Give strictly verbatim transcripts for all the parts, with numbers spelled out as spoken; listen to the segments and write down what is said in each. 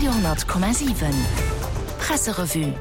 Radio honnert Komma siwen Presserevue.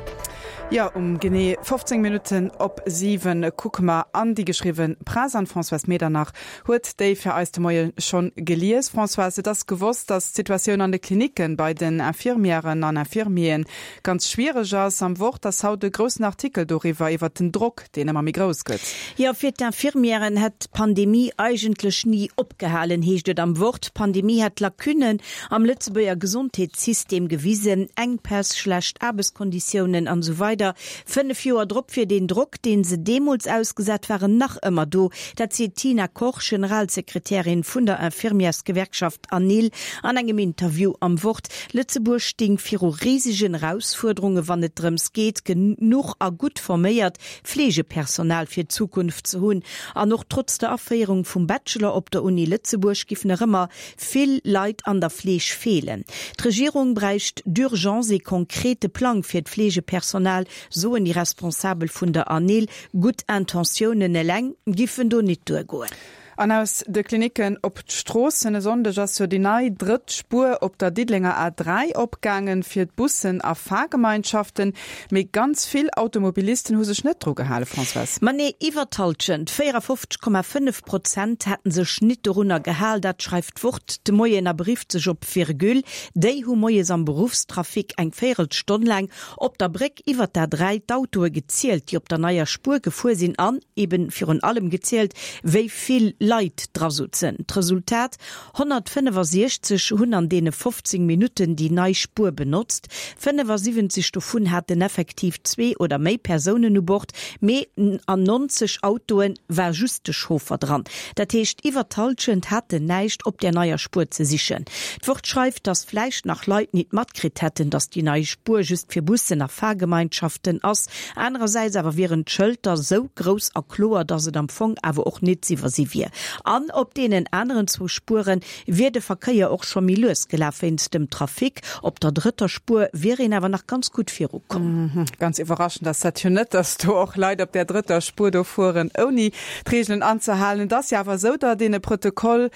Jo, um genee fofzéng Minutten op siwen kucke mer an déi geschriwwe Press an d'Françoise Medernach huet déi fir eis de Moie schonn gelies. Françoise, et ass gewosst, datt d'Situatioun an de Klinicken bei den Infirmièren an Infirmieren ganz schwiereg ass. Am Wort ass haut e groussen Artikel doriwwer, iwwert den Drock, deen ëmmer méi grouss gëtt. Jo, fir d'Infirmièren hätt d'Pandemie eigentlech ni opgehalen, heescht et am Wort. D'Pandemie hätt Lacunnen am Lëtzebuerger Gesondheetssystem gewisen, Enkpäss, schlecht Aarbechtskonditiounen an esou weider. Fënnef Joer drop wier deen Drock, deen se deemools ausgesat waren, nach ëmmer do. Dat seet d'Tina Koch, Generalsekretärin vun der Infirmièrsgewerkschaft ANIL, an engem Interview am Wort. Lëtzebuerg sting viru risegen Erausfuerderunge wann et drëms geet, genuch a gutt forméiert Fleegepersonal fir d'Zukunft ze hunn. An och trotz der Aféierung vum Bachelor op der Uni Lëtzebuerg giffen nach ëmmer vill Leit an der Fleeg feelen. D'Regierung bräicht d'urgence ee konkrete Plang fir d'Fleegepersonal, soen déi Responsabel vun der ANIL. Gutt Intentiounen eleng giffen do nit duergoen. An aus de Klinicken op d'Stroossen, E Sonndeg ass jo déi nei drëtt Spuer op der Diddelenger A dräi opgaangen, fir d'Bussen a Fahrgemeinschaften. Mee ganz vill Automobilisten hu sech net dru gehale, Françoise. Ma nee, iwwer d'Hallschent, véierafofzeg Komma fënnef Prozent, hätten sech nit dorunner gehal. Dat schreift d'Wort de Moien a berifft sech op Virgule. Déi hu moies am Beruffstrafic eng Véierelstonn laang op der Bréck iwwer d'A dräi d'Autoe gezielt, déi op der neier Spuer gefuer sinn an eben virun allem gezielt, wéi vill Leit dra sutzen. D'Resultat, honnertfënnefasiechzeg hunn an deene fofzéng Minutten déi nei Spuer benotzt, fënnefasiwwenzeg dovun haten effektiv zwee oder méi Persounen u Bord, mee an nonzeg Autoe war just de Chauffer dran. Dat heescht, iwwer d'Hallschent haten näischt op där neier Spuer ze sichen. D'Wort schreift, datt vläicht nach Leit nit matkritt hätten, datt déi nei Spuer just fir Bussen a Fahrgemeinschaften ass. Anerersäits awer wieren d'Schëlter sou grouss a kloer, datt et am Fong awer och nit z'iwwersi wier. An op deenen aneren zwou Spuere wier de Verkéier och scho méi lues gelaf. Wéinst dem Trafic op der drëtter Spuer wier een awer nach ganz gutt virukomm. Ganz iwwerraschend ass dat jo net, datt do och Leit op där drëtter Spuer do fueren, ouni d'Reegelen anzehalen. Et ass jo awer esou, datt een e Protokoll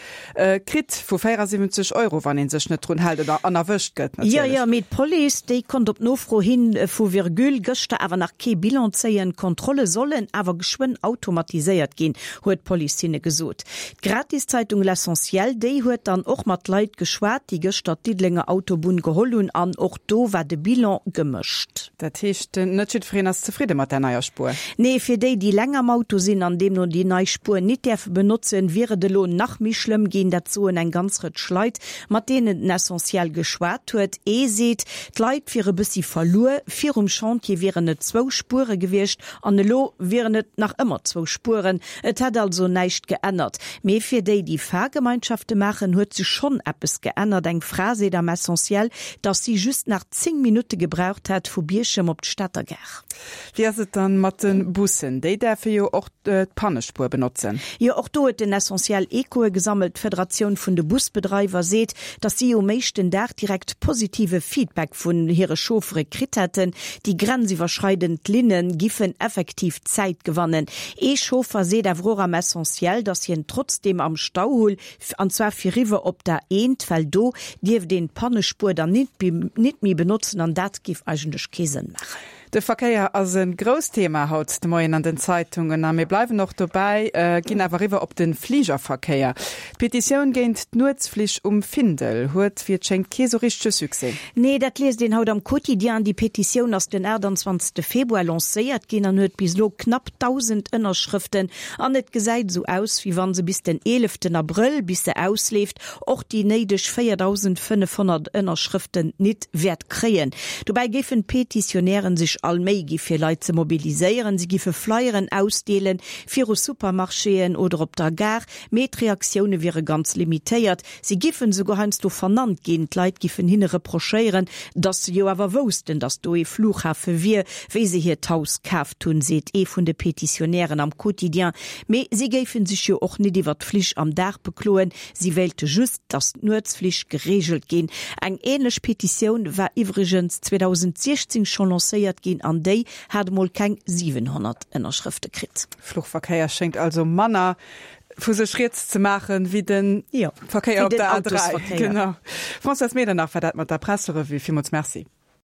kritt vu véierasiwwenzeg Euro, wann ee sech net drun hält oder an erwëscht gëtt Jo, natierlech. jo, mee d'Police, déi konnt op Nofro hi vu Virgule gëschter awer nach kee Bilan zéien. D'Kontrolle sollen awer geschwënn automatiséiert ginn, huet d'Police hinne gesot. D'Gratiszeitung L'Essentiel, déi huet dann och mat Leit geschwat, déi gëschter d'Diddelenger Autobunn geholl hunn an och do war de Bilan gemëscht. Dat heescht, net jiddwereen ass zefridde mat där neier Spuer? Nee, fir déi, déi länger am Auto sinn an deemno déi nei Spuer nit däerfe benotzen, wier et elo nach méi schlëmm ginn. Dat soen eng ganz Rëtsch Leit, mat deenen den Essentiel geschwat huet. Ee seet, d'Leit wiere bëssi verluer, virum Chantier wieren et zwou Spuere gewiescht an elo wieren et nach ëmmer zwou Spueren. Et hätt also näischt geännert. Mee fir déi, déi Fahrgemeinschafte maachen, huet sech schonn eppes geännert. Eng Fra seet am Essentiel, dass si just nach zéng Minutte gebraucht hätt vu Bierchem op d'Stater Gare. Wéi ass et dann mat de Bussen? Déi däerfe jo och d'Pannespuer benotzen. Jo, och do huet den Essentiel Echoe gesammelt. D'Federatioun vun de Busbedreiwer seet, dass si um éischten Dag direkt positive Feedback vun hire Chauffere kritt hätten. Déi grenziwwerschreidend Linne giffen effektiv Zäit gewannen. Ee Chauffer seet awer och am Essentiel, dass hien trotzdeem am Stau hull, an zwar fir riwwer op d'A eent, well do dierft een d'Pannespuer dann nit méi benotzen an dat giff eigentlech kee Sënn maachen. De Verkéier ass e grousst Thema haut de Moien an den Zeitungen a mir bleiwen och dobäi, ginn awer eriwwer op de Fligerverkéier. D'Petitioun géint d'Nuetsflich um Findel huet, wéi et schéngt, kee sou richtege Succès. Nee, dat liest een haut am Quotidien. Déi Petitioun ass den achttanzwanzegste Februar lancéiert ginn an huet bis elo knapp dausend Ënnerschrëften. An et gesäit esou aus, wéi wann se bis den eeleften Abrëll, bis se ausleeft, och déi néideg véierdausendfënnefhonnert Ënnerschrëften nit wäert kréien. Dobäi géifen d'Petitionären sech all Méi gi fir Leit ze mobiliséieren. Si giffe Flyeren ausdeelen, viru Supermarchéen oder op der Gare, mee d'Reaktioune wiere ganz limitéiert. Si giffen esouguer heiansdo vernannt ginn, d'Leit giffen hinne reprochéieren, datt se jo awer woussten, datt do ee Flughafe wier, wéi se hiert Haus kaaft hunn, seet ee vun de Petitionären am Quotidien. Mee si géife sech jo och nit iwwer d'Flich am Dag bekloen, si wéilte just, datt d'Nuetsflich gereegelt ginn. Eng änlech Petitioun war iwwregens zweedausentsiechzéng scho lancéiert ginn an déi hat emol keng siwenhonnert Ënnerschrëfte kritt. Fluchverkéier schéngt also manner vu sech riets ze maachen wéi den Jo, Verkéier wéi op den der A dräi. Autosverkéier. Genau. Françoise Medernach war dat mat der Presserevue. Villmools Merci.